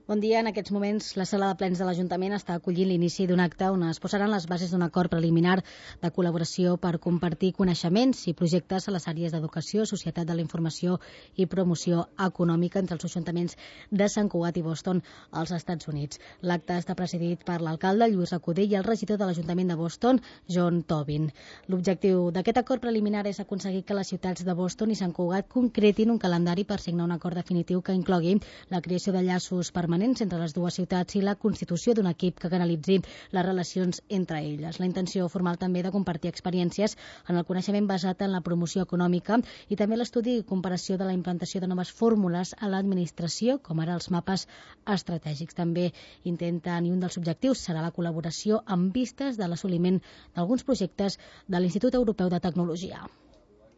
Bon dia. En aquests moments, la sala de plens de l'Ajuntament està acollint l'inici d'un acte on es posaran les bases d'un acord preliminar de col·laboració per compartir coneixements i projectes a les àrees d'educació, societat de la informació i promoció econòmica entre els ajuntaments de Sant Cugat i Boston, als Estats Units. L'acte està presidit per l'alcalde Lluís Recudell i el regidor de l'Ajuntament de Boston, John Tobin. L'objectiu d'aquest acord preliminar és aconseguir que les ciutats de Boston i Sant Cugat concretin un calendari per signar un acord definitiu que inclogui la creació de llaços permanents entre les dues ciutats i la constitució d'un equip que canalitzi les relacions entre elles. La intenció formal també de compartir experiències en el coneixement basat en la promoció econòmica i també l'estudi i comparació de la implantació de noves fórmules a l'administració, com ara els mapes estratègics. També intenten, i un dels objectius serà la col·laboració amb vistes de l'assoliment d'alguns projectes de l'Institut Europeu de Tecnologia.